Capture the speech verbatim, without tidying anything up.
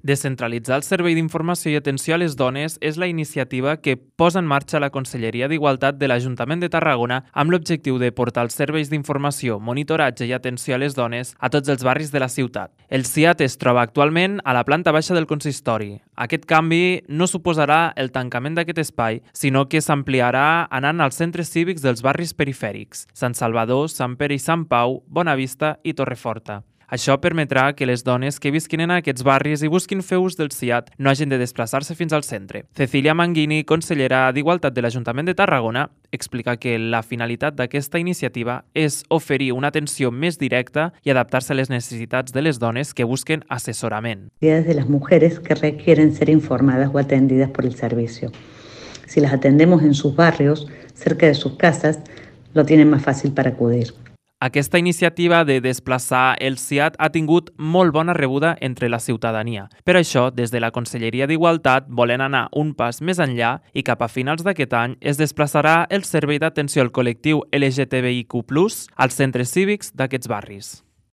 Descentralitzar el Servei d'Informació i Atenció a les Dones és la iniciativa que posa en marxa la Conselleria d'Igualtat de l'Ajuntament de Tarragona amb l'objectiu de portar els serveis d'informació, monitoratge i atenció a les dones a tots els barris de la ciutat. El C I A T es troba actualment a la planta baixa del consistori. Aquest canvi no suposarà el tancament d'aquest espai, sinó que s'ampliarà anant als centres cívics dels barris perifèrics, Sant Salvador, Sant Pere i Sant Pau, Bonavista i Torreforta. Això permetrà que les dones que visquin en aquests barris i busquin fer ús del C I A T no hagin de desplaçar-se fins al centre. Cecilia Manguini, consellera d'Igualtat de l'Ajuntament de Tarragona, explica que la finalitat d'aquesta iniciativa és oferir una atenció més directa i adaptar-se a les necessitats de les dones que busquen asesorament. De las mujeres que requieren ser informadas o atendidas por el servicio. Si las atendemos en sus barrios, cerca de sus casas, lo tienen más fácil para acudir. Aquesta iniciativa de desplaçar el C I A T ha tingut molt bona rebuda entre la ciutadania. Per això, des de la Conselleria d'Igualtat volen anar un pas més enllà i cap a finals d'aquest any es desplaçarà el Servei d'Atenció al Col·lectiu L G T B I Q plus als centres cívics d'aquests barris.